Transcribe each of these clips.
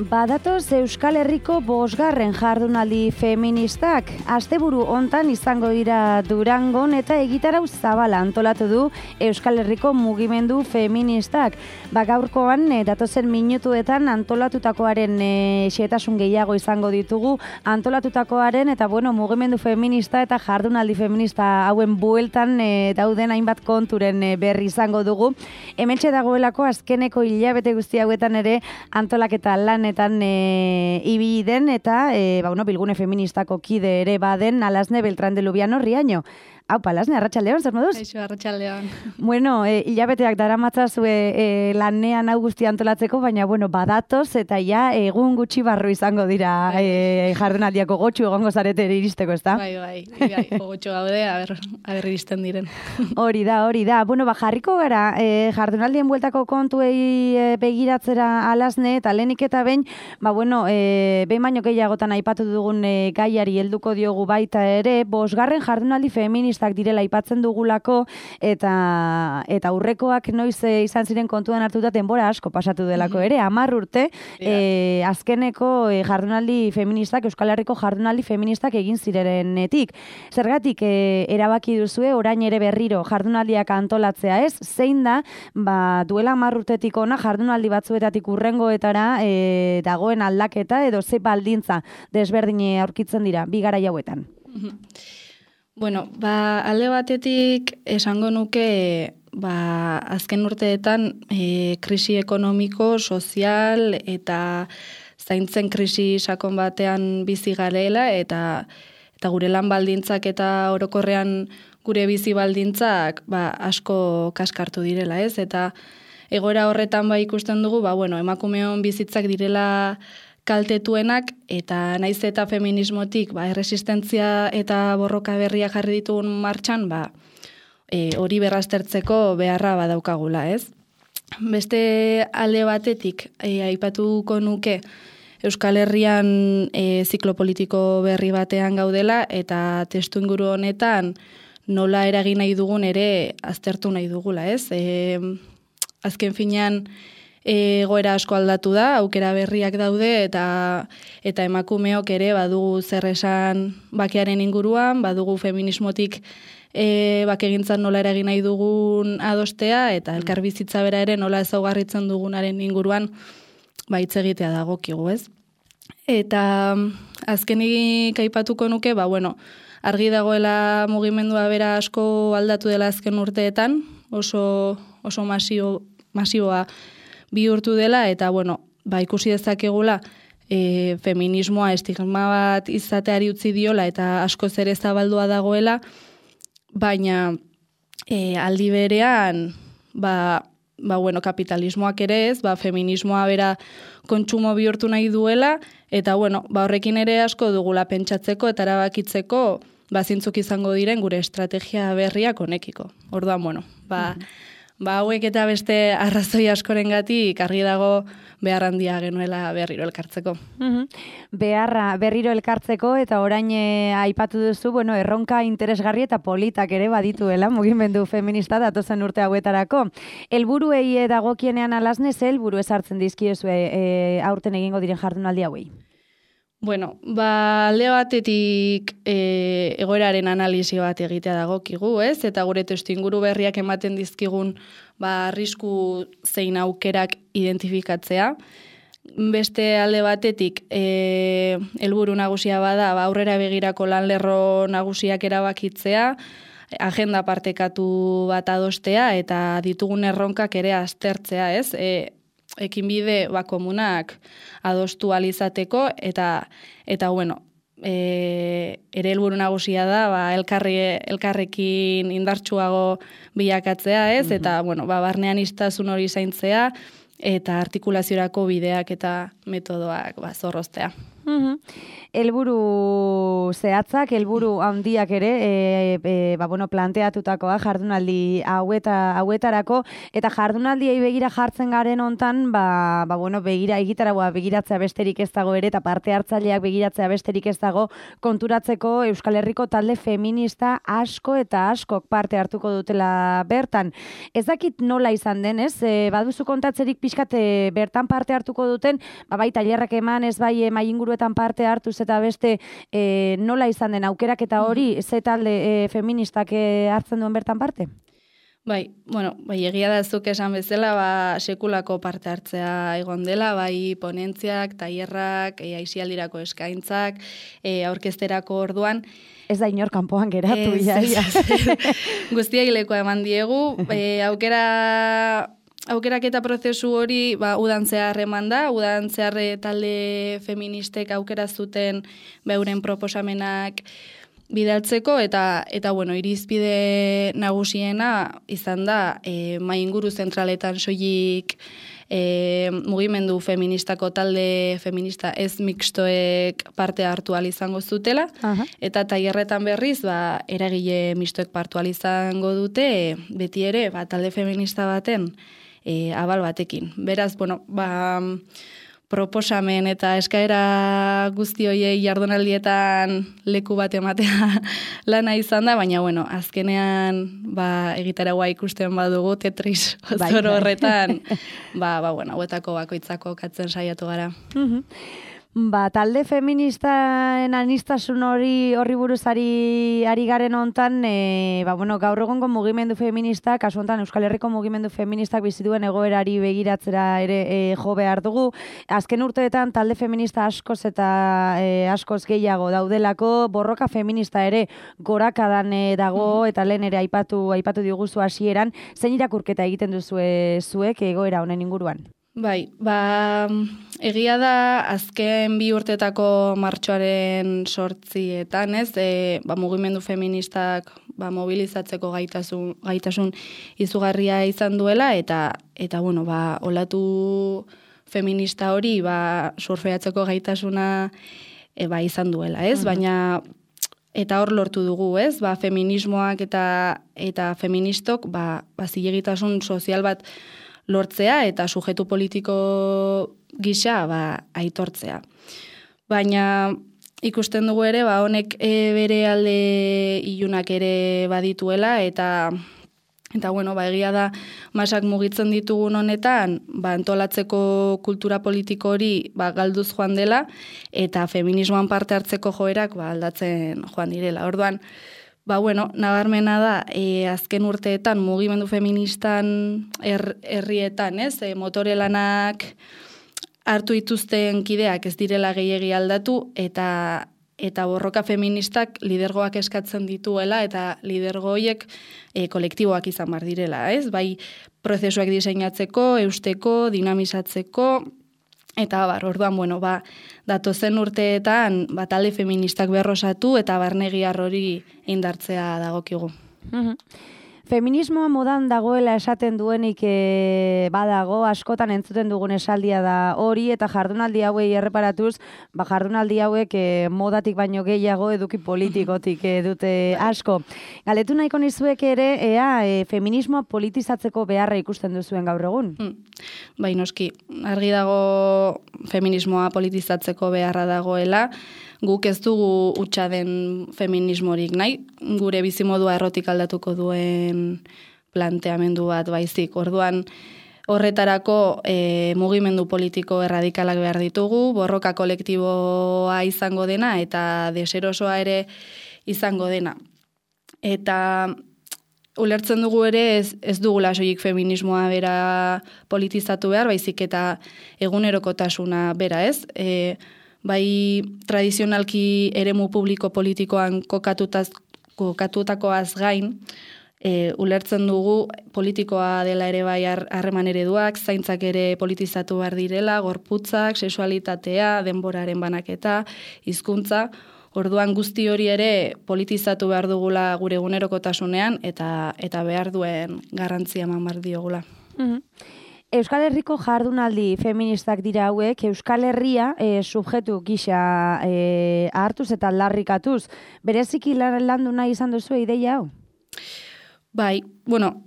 Badatoz Euskal Herriko 5. jardunaldi feministak. Asteburu hontan izango dira Durangon eta egitarau zabala antolatu du Euskal Herriko mugimendu feministak. Gaurkoan datozen minutuetan antolatutakoaren xehetasun gehiago izango ditugu. Antolatutakoaren eta mugimendu feminista eta jardunaldi feminista hauen bueltan dauden hainbat konturen berri izango dugu. Hementxe dagoelako azkeneko hilabete guzti hauetan ere antolaketa lanetan ibili den eta bilgune feministako kide ere baden Alasne Beltrán de Lubiano Riaño. Aupa, Alasne, arratsaldeon, zer moduz? Eixo, arratsaldeon. Hilabeteak daramatzazue lanean hau guztia antolatzeko, baina badatoz eta egun gutxi barru izango dira jardunaldiako gotxu egongo zarete iristeko, ezta? Bai, gotxu gaude, aber iristen diren. Hori da. Jarriko gara jardunaldien bueltako kontuei begiratzera Alasne, eta lehenik eta behin, behin baino gehiagotan aipatu dugun gaiari helduko diogu baita ere, 5. jardunaldi feministak direla aipatzen dugulako, eta aurrekoak noiz izan ziren kontuan hartuta denbora asko pasatu delako ere, 10 urte, azkeneko jardunaldi feministak, Euskal Herriko jardunaldi feministak egin zirenetik. Zergatik erabaki duzue orain ere berriro jardunaldiak antolatzea ez? Zein da, duela 10 urtetik ona jardunaldi batzuetatik hurrengoetara dagoen aldaketa edo ze baldintza desberdine aurkitzen dira, bi garai hauetan? Alde batetik esango nuke azken urteetan krisi ekonomiko, sozial eta zaintzen krisi sakon batean bizi garela eta gure lan baldintzak eta orokorrean gure bizi baldintzak asko kaskartu direla, ez? Eta egoera horretan ikusten dugu, emakumeon bizitzak direla kaltetuenak, eta naiz eta feminismotik erresistentzia eta borroka berria jarri ditugun martxan, hori berraztertzeko beharra badaukagula, ez? Beste alde batetik, aipatuko nuke Euskal Herrian ziklo politiko berri batean gaudela, eta testu inguru honetan nola eragin nahi dugun ere aztertu nahi dugula, ez? Azken finean, egoera asko aldatu da, aukera berriak daude eta emakumeok ere badugu zer esan bakearen inguruan, badugu feminismotik bakegintzan nola eragin nahi dugun adostea eta elkarbizitza bera ere nola ezaugarritzen dugunaren inguruan hitz egitea dagokigu, ez? Eta azkenik aipatuko nuke, argi dagoela mugimendua bera asko aldatu dela azken urteetan, oso masioa bihurtu dela, eta ikusi dezakegula feminismoa estigma bat izateari utzi diola eta askoz ere zabaldua dagoela, baina aldi berean kapitalismoak ere ez, feminismoa bera kontsumo bihurtu nahi duela, eta horrekin ere asko dugula pentsatzeko eta erabakitzeko zintzuk izango diren gure estrategia berriak honekiko. Orduan, hauek eta beste arrazoi askorengatik argi dago behar handia genuela berriro elkartzeko. Beharra berriro elkartzeko, eta orain aipatu duzu, erronka interesgarri eta politak ere badituela mugimendu feminista datozen urte hauetarako. Helburuei dagokienean Alasne, ze helburu ezartzen dizkiozue aurten egingo diren jardunaldi hauei? Alde batetik egoeraren analisi bat egitea dagokigu, ez? Eta gure testuinguru berriak ematen dizkigun arrisku zein aukerak identifikatzea. Beste alde batetik helburu nagusia bada aurrera begirako lanlerro nagusiak erabakitzea, agenda partekatu bat adostea eta ditugun erronkak ere aztertzea, ez? Ekinbide komunak adostu alizateko eta ere helburu nagusia da elkarrekin indartsuago bilakatzea, ez? Eta barnean iztasun hori zaintzea eta artikulaziorako bideak eta metodoak zorroztea. Helburu zehatzak, helburu handiak ere, planteatutakoa jardunaldi hauetarako, eta jardunaldiei begira jartzen garen hontan, egitaragoa begiratzea besterik ez dago ere, eta parte hartzaileak begiratzea besterik ez dago, konturatzeko Euskal Herriko talde feminista asko eta askok parte hartuko dutela bertan. Ez dakit nola izan den, ez? Baduzu kontatzerik pixkat bertan parte hartuko duten, bai tailerrak eman, ez bai mai inguruetan parte hartuz eta beste nola izan den aukerak eta hori ze talde feministak hartzen duen bertan parte? Bai, egia da zuk esan bezala, sekulako parte hartzea egon dela, bai ponentziak, tailerrak, aisialdirako eskaintzak, aurkezterako orduan. Ez da inor kanpoan geratu, Guztiak lekoa eman diegu, aukeraketa prozesu hori udan zehar eman da, udan zehar talde feministek aukera zuten beuren proposamenak bidaltzeko, eta irizpide nagusiena izan da mai inguru zentraletan soilik mugimendu feministako talde feminista ez mixtoek parte hartu ahal izango zutela, eta tailerretan berriz eragile mixtoek parte ahal izango dute, beti ere talde feminista baten abal batekin. Beraz, proposamen eta eskaera guzti hoiei jardunaldietan leku bat ematea lana izan da, baina azkenean egitaragoa ikusten badugu Tetris zoro horretan, hauetako bakoitzako katzen saiatu gara. Talde feministaen aniztasun horri buruzari ari garen hontan, gaur egongo mugimendu feministak, kasu hontan Euskal Herriko mugimendu feministak bizituen egoerari begiratzera ere jo behar dugu. Azken urteetan talde feminista askoz eta askoz gehiago daudelako, borroka feminista ere gorakadan dago, eta lehen ere aipatu diguzu hasieran, zein irakurketa egiten duzu zuek egoera honen inguruan? Bai, egia da azken 2 urtetako martxoaren 8etan, mugimendu feministak mobilizatzeko gaitasun izugarria izan duela, eta olatu feminista hori surfeatzeko gaitasuna izan duela, baina eta hor lortu dugu, feminismoak eta feministok zilegitasun sozial bat lortzea eta sujetu politiko gisa aitortzea. Baina ikusten dugu ere, honek bere alde ilunak ere badituela, eta egia da masak mugitzen ditugun honetan, antolatzeko kultura politiko hori galduz joan dela, eta feminismoan parte hartzeko joerak aldatzen joan direla. Orduan, nabarmena da, azken urteetan mugimendu feministan herrietan, motore lanak hartu dituzten kideak ez direla gehiegi aldatu, eta borroka feministak lidergoak eskatzen dituela, eta lidergo horiek kolektiboak izan bar direla, bai prozesuak diseinatzeko, eusteko, dinamizatzeko, eta orduan, datozen urteetan talde feministak berrosatu eta barnegiar hori indartzea dagokigu. Feminismoa modan dagoela esaten duenik badago, askotan entzuten dugun esaldia da hori, eta jardunaldi hauei erreparatuz, jardunaldi hauek modatik baino gehiago eduki politikotik dute asko. Galetu nahiko nizuek ere, feminismoa politizatzeko beharra ikusten duzuen gaur egun? Bai, noski, argi dago feminismoa politizatzeko beharra dagoela, guk ez dugu hutsa den feminismorik nahi, gure bizimodua errotik aldatuko duen planteamendu bat baizik. Orduan, horretarako mugimendu politiko erradikalak behar ditugu, borroka kolektiboa izango dena eta deserosoa ere izango dena. Eta ulertzen dugu ere ez dugula soilik feminismoa bera politizatu behar, baizik eta egunerokotasuna bera, bai tradizionalki eremu publiko politikoan kokatutakoaz gain, ulertzen dugu politikoa dela ere bai harreman ereduak, zaintzak ere politizatu behar direla, gorputzak, sexualitatea, denboraren banaketa, hizkuntza. Orduan guzti hori ere politizatu behar dugula gure egunerokotasunean eta behar duen garrantzia eman behar diogula. Euskal Herriko jardunaldi feministak dira hauek, Euskal Herria subjektu gisa hartuz eta aldarrikatuz. Bereziki landu nahi izan duzu ideia hau? Bai, bueno,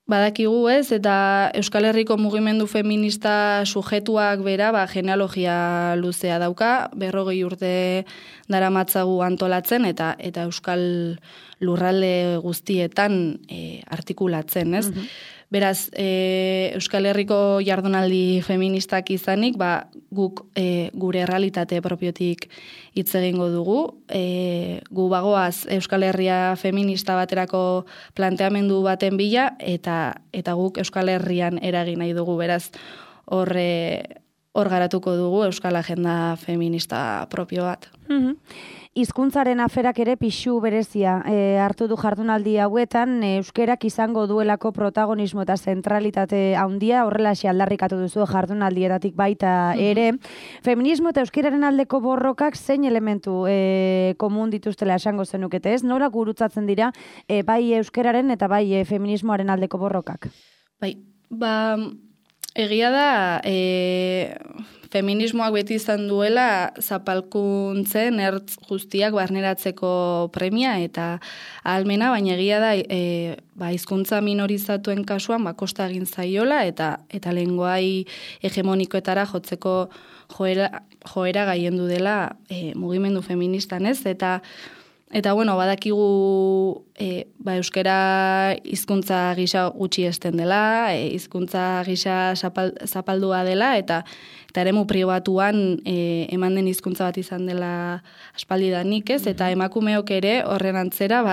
badakigu ez, eta Euskal Herriko mugimendu feminista sujetuak bera, genealogia luzea dauka, 40 urte daramatzagu antolatzen, eta Euskal lurralde guztietan artikulatzen, ez? Beraz, Euskal Herriko jardunaldi feministak izanik, guk gure errealitate propiotik hitz egingo dugu. Gu bagoaz Euskal Herria feminista baterako planteamendu baten bila, eta guk Euskal Herrian eragin nahi dugu. Beraz, hor garatuko dugu Euskal Agenda feminista propio bat. Hizkuntzaren aferak ere pixu berezia hartu du jardunaldi hauetan, euskerak izango duelako protagonismo eta zentralitate handia, horrelaxe aldarrikatu duzu jardunaldietatik baita ere. Feminismo eta euskeraren aldeko borrokak zein elementu komun dituztela esango zenukete, ez? Nora gurutzatzen dira bai euskeraren eta bai feminismoaren aldeko borrokak? Bai, egia da feminismoak beti izan duela zapalkuntzen ertz guztiak barneratzeko premia eta ahalmena, baina egia da hizkuntza minorizatuen kasuan kosta egin zaiola eta lenguai hegemonikoetara jotzeko joera gaiendu dela mugimendu feministan, ez? Eta bueno, badakigu euskera hizkuntza gisa gutxi esten dela, hizkuntza gisa zapaldua dela, eta eremu pribatuan eman den hizkuntza bat izan dela aspaldidanik, ez? Eta emakumeok ere horren antzera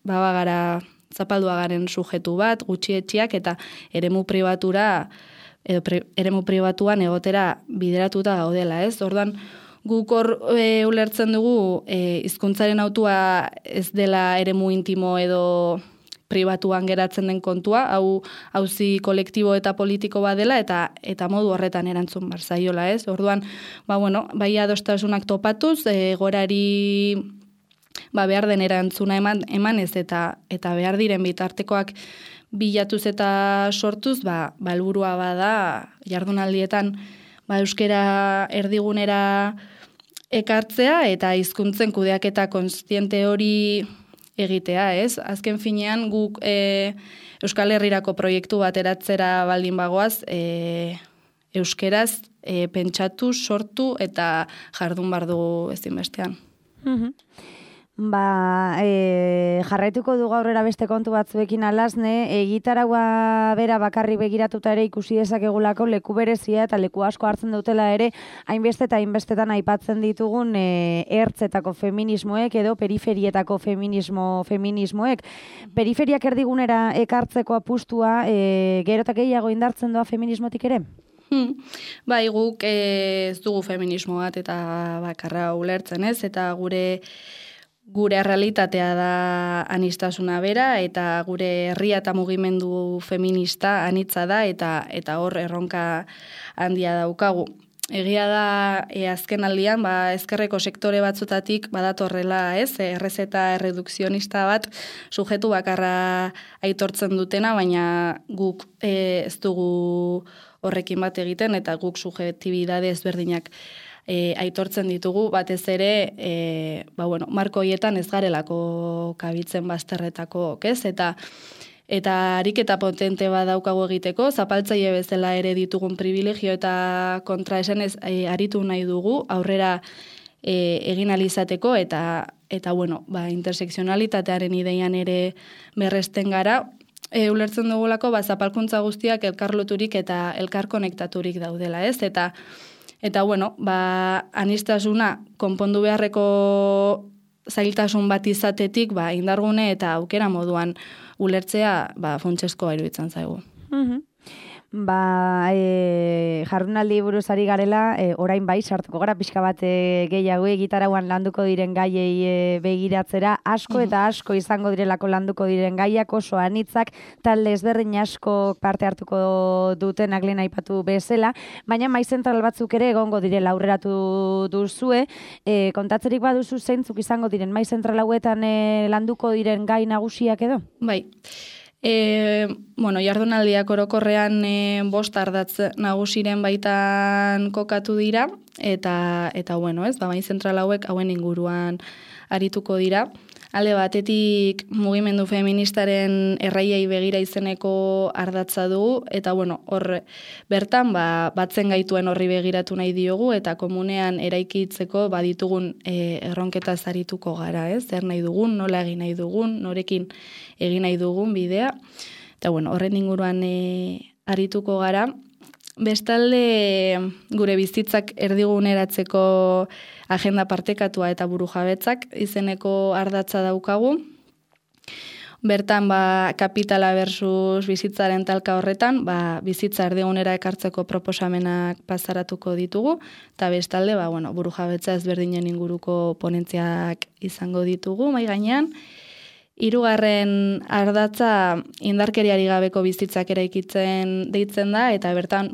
bagara zapaldua garen sujetu bat, gutxietxiak, eta eremu pribatuan egotera bideratuta gaudela, ez? Orduan, guk hor ulertzen dugu hizkuntzaren hautua ez dela eremu intimo edo pribatuan geratzen den kontua, auzi kolektibo eta politiko bat dela eta modu horretan erantzun barzaiola, ez? Orduan, bai adostasunak topatuz, gorari behar den erantzuna emanez eta behar diren bitartekoak bilatuz eta sortuz, helburua bada jardunaldietan euskera erdigunera ekartzea eta hizkuntzen kudeaketa kontziente hori egitea, ez? Azken finean guk Euskal Herrirako proiektu bat eratzera baldin bagoaz, euskeraz pentsatu, sortu eta jardun bardu ezinbestean. Jarraituko du aurrera beste kontu batzuekin alasne, gitaragua bera bakarri begiratuta ere ikusi dezakegulako leku berezia eta leku asko hartzen dutela ere hainbeste eta hainbestetan aipatzen ditugun ertzetako feminismoek edo periferietako feminismoek. Periferiak erdigunera ekartzeko apustua gero eta gehiago indartzen doa feminismotik ere? Bai, guk ez dugu feminismo bat eta bakarra ulertzen, ez? Eta gure realitatea da aniztasuna bera, eta gure herria eta mugimendu feminista anitza da, eta hor erronka handia daukagu. Egia da, azken aldian, ezkerreko sektore batzutatik badatorrela, ez? Errezeta erredukzionista bat sujetu bakarra aitortzen dutena, baina guk ez dugu horrekin bat egiten, eta guk subjektibidade ezberdinak aitortzen ditugu, batez ere, marko hoietan ez garelako kabitzen bazterretako, ez? Eta ariketa potente bat daukagu egiteko, zapaltzaile bezala ere ditugun privilegio eta kontraesanez aritu nahi dugu, aurrera egin alizateko, eta interseksionalitatearen ideian ere berresten gara, ulertzen dugulako, zapalkuntza guztiak elkarloturik eta elkarkonektaturik daudela, ez? Eta aniztasuna konpondu beharreko zailtasun bat izatetik, indargune eta aukera moduan ulertzea, funtseskoa iruditzen zaigu. Jardunaldi buruz ari garela, orain bai, sartuko gara pixka bat gehiago gitarauan landuko diren gaiei begiratzera, asko eta asko izango direlako landuko diren gaiak, oso anitzak, talde ezberdin asko parte hartuko dutenak lehen aipatu bezala, baina mai zentral batzuk ere egongo direla aurreratu duzue, kontatzerik baduzu zeintzuk izango diren mai zentral hauetan landuko diren gai nagusiak edo? Bai. Jardunaldiak orokorrean 5 ardatz nagusiren baitan kokatu dira, eta bai zentral hauek hauen inguruan arituko dira. Alde batetik mugimendu feministaren erraiei begira izeneko ardatza dugu, eta hor bertan batzen gaituen horri begiratu nahi diogu, eta komunean eraikitzeko baditugun erronketaz arituko gara, zer nahi dugun, nola egin nahi dugun, norekin egin nahi dugun bidea, eta horren inguruan arituko gara. Bestalde gure bizitzak erdiguneratzeko agenda partekatua eta burujabetzak izeneko ardatza daukagu. Bertan kapitala versus bizitzaren talka horretan, bizitza erdigunera ekartzeko proposamenak plazaratuko ditugu, eta bestalde burujabetza ezberdinen inguruko ponentziak izango ditugu mahai gainean. 3. ardatza indarkeriari gabeko bizitzak eraikitzen deitzen da, eta bertan,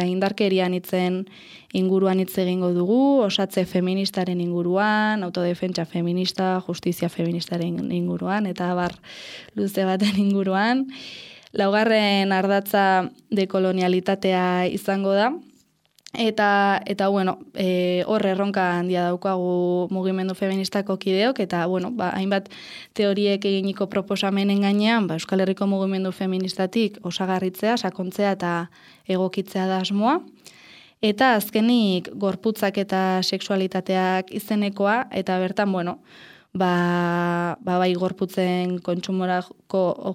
indarkerian hitzen inguruan hitz egingo dugu, osatze feministaren inguruan, autodefentsa feminista, justizia feministaren inguruan, eta abar luze baten inguruan. 4. ardatza dekolonialitatea izango da, eta hor erronka handia daukagu mugimendu feministako kideok, eta hainbat teoriek eginiko proposamenen gainean, Euskal Herriko mugimendu feministatik osagarritzea, sakontzea eta egokitzea da asmoa. Eta azkenik gorputzak eta sexualitateak izenekoa, eta bertan bai gorputzen kontsumorako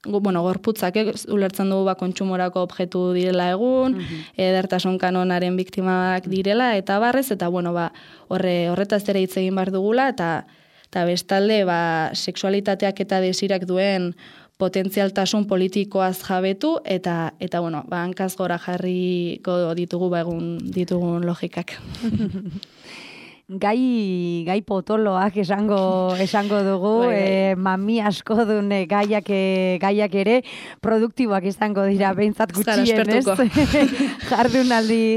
gorputzak ulertzen dugu kontsumorako objektu direla egun, edertasun kanonaren biktimak direla, eta barrez, eta horretaz ere hitz egin behar dugula, eta bestalde sexualitateak eta desirak duen potentzialtasun politikoaz jabetu, eta hankaz gora jarriko ditugu egun ditugun logikak. Gai potoloak esango dugu, mami asko duen gaiak ere produktiboak izango dira, behintzat gutxienez,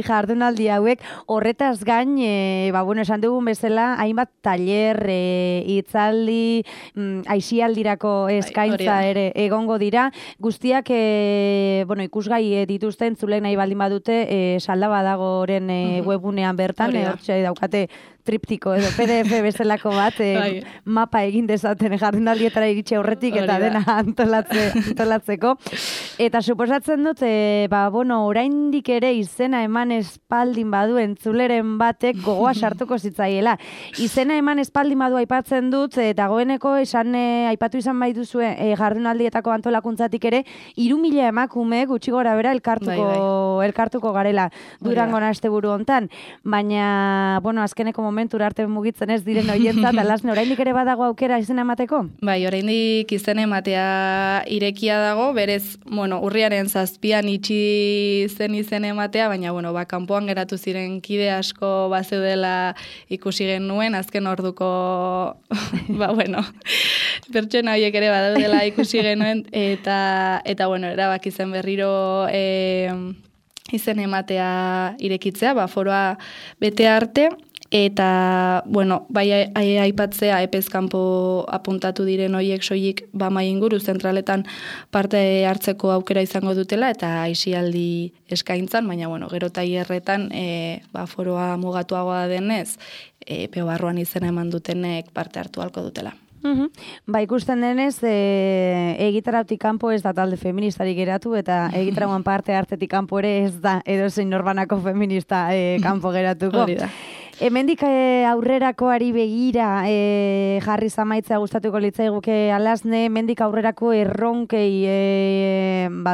jardunaldi hauek. Horretaz gain, esan dugun bezala, hainbat taller, hitzaldi, aisialdirako eskaintza ere egongo dira. Guztiak, ikusgai dituzten, zulek nahi baldin badute, salda badagoren webunean bertan, hortxe daukate triptiko edo PDF bezalako bat, mapa egin dezaten jardunaldietara iritsi aurretik eta dena antolatzeko. Eta suposatzen dut, oraindik ere izena eman espaldin badu entzuleren batek gogoa sartuko zitzaiela. Izena eman espaldin badu aipatzen dut, dagoeneko aipatu izan bai duzue jardunaldietako antolakuntzatik ere, 3.000 emakume gutxi gora bera elkartuko garela Durangon asteburu hontan. Baina, azkeneko momentura arte mugitzen ez diren oientzat, alasne, oraindik ere badago aukera izena emateko? Bai, oraindik izena ematea irekia dago, berez, urriaren 7 itxi zen izena ematea, baina, kanpoan geratu ziren kide asko bazeudela ikusi genuen, azken orduko, pertsona horiek ere badaudela ikusi genuen, eta erabaki zen berriro izen ematea irekitzea, foroa bete arte, eta, bai aipatzea epezkanpo apuntatu diren horiek soilik mai inguru zentraletan parte hartzeko aukera izango dutela, eta aisialdi eskaintzan, baina, gero tailerretan foroa mugatuagoa denez, epeo barruan izena eman dutenek parte hartu halko dutela. Ikusten denez, egitarautik kanpo ez da talde feministarik geratu, eta egitarauan parte hartetik kanpo ere ez da edozein norbanako feminista kanpo geratuko. Hori da. Hemendik aurrerakoari begira jarri zamaitzea gustatuko litzaiguke alasne, hemendik aurrerako erronkei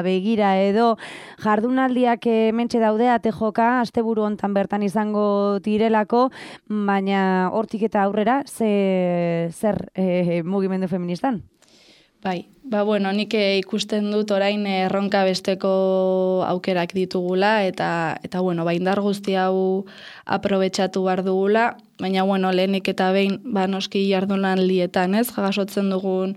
begira edo jardunaldiak hementxe daude ate joka, asteburu hontan bertan izango direlako, baina hortik eta aurrera zer mugimendu feministan? Bai, nik ikusten dut orain erronka besteko aukerak ditugula, eta indar guzti hau aprobetxatu behar dugula, baina lehenik eta behin noski jardunaldietan, jasotzen dugun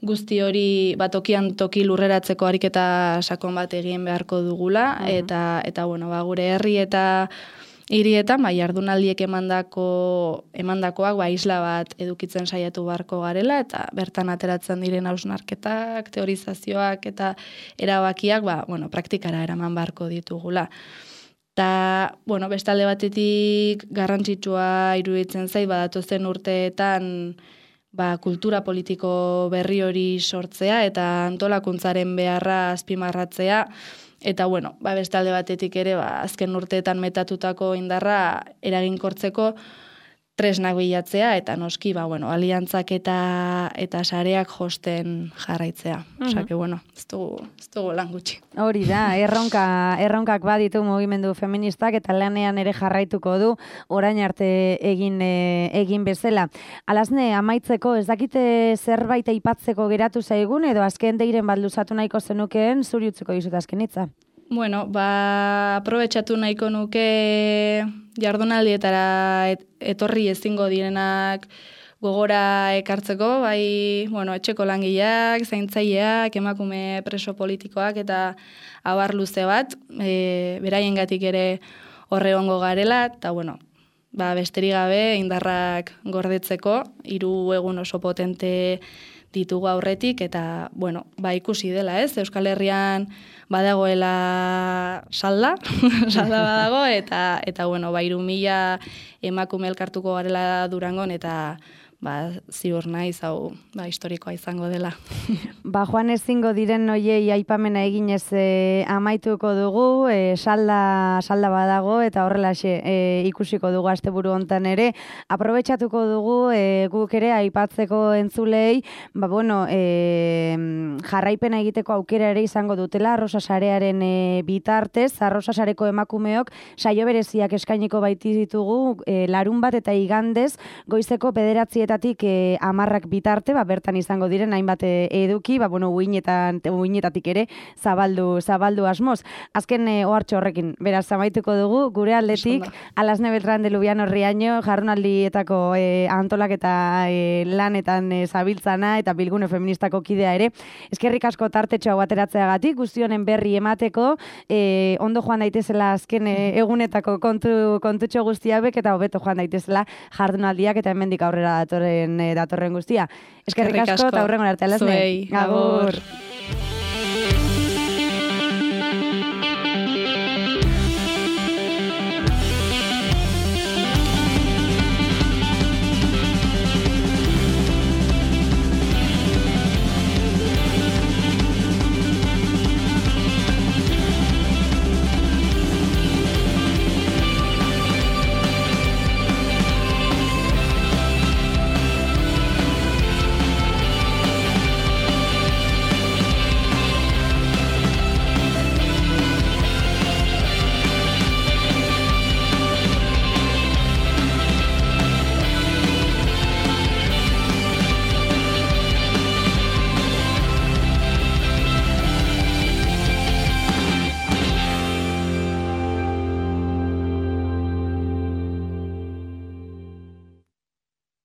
guzti hori tokian toki lurreratzeko ariketa sakon bat egin beharko dugula, eta gure herri eta hirietan jardunaldiek emandakoak isla bat edukitzen saiatu beharko garela, eta bertan ateratzen diren hausnarketak, teorizazioak eta erabakiak praktikara eraman beharko ditugula. Eta, bestalde batetik garrantzitsua iruditzen zait, datozen urteetan kultura politiko berri hori sortzea eta antolakuntzaren beharra azpimarratzea. Eta, bestalde batetik ere, azken urteetan metatutako indarra eraginkortzeko tresnak bilatzea, eta noski, aliantzak eta sareak josten jarraitzea. Osa, ez dugu lan gutxi. Hori da, erronkak baditu mugimendu feministak, eta lanean ere jarraituko du, orain arte egin bezala. Alasne, amaitzeko, ez dakite zerbait aipatzeko geratu zaigun, edo azken deiren bat luzatu nahiko zenukeen, zuri utziko dizut azken hitza. Aprobetxatu nahiko nuke jardunaldietara etorri ezingo direnak gogora ekartzeko, etxeko langileak, zaintzaileak, emakume preso politikoak eta abar luze bat, beraiengatik ere horre ongo garela, eta besterik gabe indarrak gordetzeko, 3 egun oso potente ditugu aurretik, eta, ikusi dela, ez? Euskal Herrian badagoela salda badago, eta 3.000 emakume elkartuko garela Durangon, eta ziur naiz, hau, historikoa izango dela. Joan ezingo diren noiei aipamena eginez amaituko dugu, salda badago, eta horrelaxe ikusiko dugu asteburu hontan ere. Aprobetxatuko dugu guk ere aipatzeko entzulei, jarraipena egiteko aukera ere izango dutela, Arrosa Sarearen bitartez, Arrosa Sareko emakumeok saio bereziak eskainiko baiti ditugu, larun bat eta igandez, goizeko 9 10 bitarte, bertan izango diren hainbat eduki, uinetatik ere zabaldu asmoz. Azken ohartxo horrekin, beraz, amaituko dugu, gure aldetik, Alasne Beltran de Lubiano Riaño, jardunaldietako antolaketa lanetan zabiltzana eta bilgune feministako kidea ere. Eskerrik asko tartetxo hau ateratzeagatik, guztionen berri emateko, ondo joan daitezela azken egunetako kontutxo guztiabek, eta hobeto joan daitezela jardunaldiak eta hemendik aurrera datorren guztia. Eskerrik asko eta aurrengo arte, Alasne. Zuei, agur.